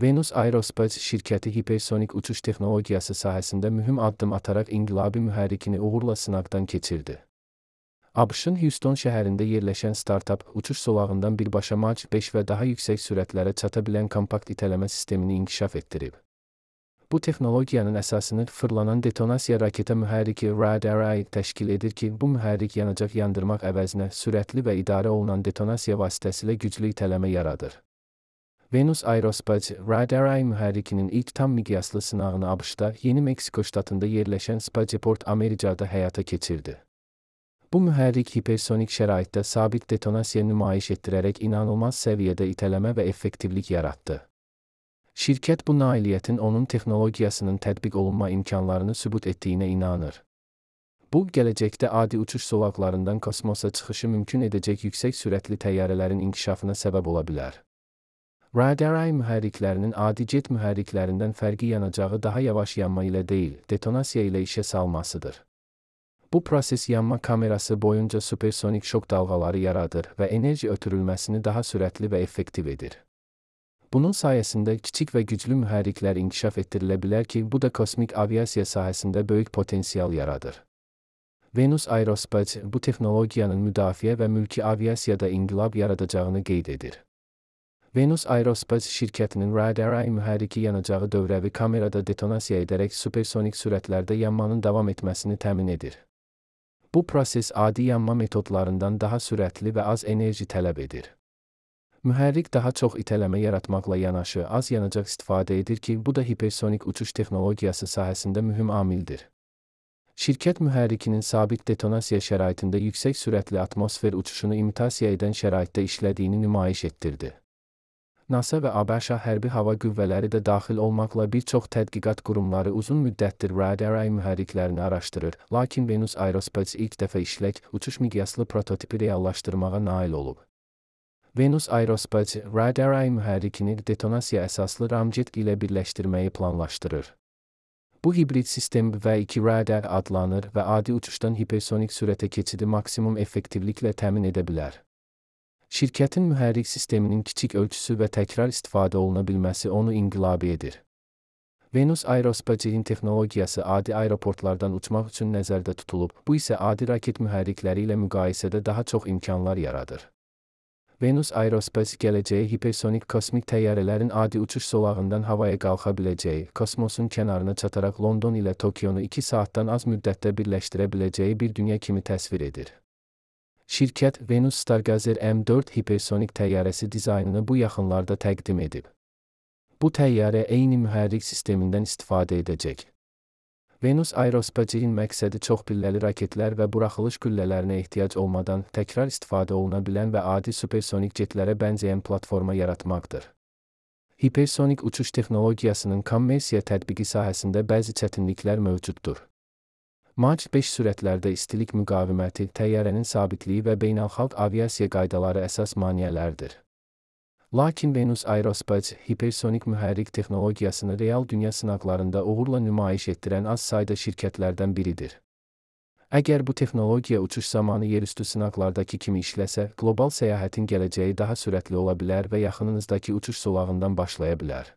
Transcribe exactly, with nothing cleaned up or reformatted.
Venus Aerospace şirkəti hipersonik uçuş texnologiyası sahəsində mühüm addım ataraq inqilabi mühərrikini uğurla sınaqdan keçirdi. ABŞ-ın Houston şəhərində yerləşən startap, uçuş zolağından birbaşa Mach beş və daha yüksək sürətlərə çata bilən kompakt itələmə sistemini inkişaf etdirib. Bu texnologiyanın əsasını fırlanan detonasiya raketa mühərriki Rad-Array təşkil edir ki, bu mühərrik yanacaq yandırmaq əvəzinə sürətli və idarə olunan detonasiya vasitəsilə güclü itələmə yaradır. Venus Aerospace, Rad-Array mühərrikinin ilk tam miqyaslı sınağını ABŞ-da, Yeni Meksiko ştatında yerləşən Spaceport America'da həyata keçirdi. Bu mühərrik hipersonik şəraitdə sabit detonasiya nümayiş etdirərək inanılmaz səviyyədə itələmə və effektivlik yaratdı. Şirkət bu nailiyyətin onun texnologiyasının tətbiq olunma imkanlarını sübut etdiyinə inanır. Bu, gələcəkdə adi uçuş zolaqlarından kosmosa çıxışı mümkün edəcək yüksək sürətli təyyarələrin inkişafına səbəb ola bilər. Rad-Array mühərriklərinin adi jet mühərriklərindən fərqi yanacağı daha yavaş yanma ilə deyil, detonasiya ilə işə salmasıdır. Bu proses yanma kamerası boyunca supersonik şok dalğaları yaradır və enerji ötürülməsini daha sürətli və effektiv edir. Bunun sayəsində kiçik və güclü mühərriklər inkişaf etdirilə bilər ki, bu da kosmik aviasiya sahəsində böyük potensial yaradır. Venus Aerospace bu texnologiyanın müdafiə və mülki aviasiyada inqilab yaradacağını qeyd edir. Venus Aerospace şirkətinin Rad-Array mühərriki yanacağı dövrəvi kamerada detonasiya edərək supersonik sürətlərdə yanmanın davam etməsini təmin edir. Bu proses adi yanma metodlarından daha sürətli və az enerji tələb edir. Mühərrik daha çox itələmə yaratmaqla yanaşı az yanacaq istifadə edir ki, bu da hipersonik uçuş texnologiyası sahəsində mühüm amildir. Şirkət mühərrikinin sabit detonasiya şəraitində yüksək sürətli atmosfer uçuşunu imitasiya edən şəraitdə işlədiyini nümayiş etdirdi. NASA və ABŞ hərbi hava qüvvələri də daxil olmaqla bir çox tədqiqat qurumları uzun müddətdir Rad-Array mühərriklərini araşdırır, lakin Venus Aerospace ilk dəfə işlək, uçuş miqyaslı prototipi reallaşdırmağa nail olub. Venus Aerospace, Rad-Array mühərrikini detonasiya əsaslı ramjet ilə birləşdirməyi planlaşdırır. Bu hibrid sistem V iki Rad adlanır və adi uçuşdan hipersonik sürətə keçidi maksimum effektivliklə təmin edə bilər. Şirkətin mühərrik sisteminin kiçik ölçüsü və təkrar istifadə oluna bilməsi onu inqilabi edir. Venus Aerospace'in texnologiyası adi aeroportlardan uçmaq üçün nəzərdə tutulub, bu isə adi raket mühərrikləri ilə müqayisədə daha çox imkanlar yaradır. Venus Aerospace gələcəyi hipersonik kosmik təyyarələrin adi uçuş zolağından havaya qalxa biləcəyi, kosmosun kənarına çataraq London ilə Tokionu iki saatdan az müddətdə birləşdirə biləcəyi bir dünya kimi təsvir edir. Şirkət Venus Stargazer M dörd hipersonik təyyarəsi dizaynını bu yaxınlarda təqdim edib. Bu təyyarə eyni mühərrik sistemindən istifadə edəcək. Venus Aerospace'in məqsədi çox pilləli raketlər və buraxılış güllələrinə ehtiyac olmadan təkrar istifadə oluna bilən və adi supersonik jetlərə bənzəyən platforma yaratmaqdır. Hipersonik uçuş texnologiyasının kommersiya tətbiqi sahəsində bəzi çətinliklər mövcuddur. Mach beş sürətlərdə istilik müqaviməti, təyyarənin sabitliyi və beynəlxalq aviasiya qaydaları əsas maneələrdir. Lakin Venus Aerospace hipersonik mühərrik texnologiyasını real dünya sınaqlarında uğurla nümayiş etdirən az sayda şirkətlərdən biridir. Əgər bu texnologiya uçuş zamanı yerüstü sınaqlardakı kimi işləsə, qlobal səyahətin gələcəyi daha sürətli ola bilər və yaxınınızdakı uçuş zolağından başlaya bilər.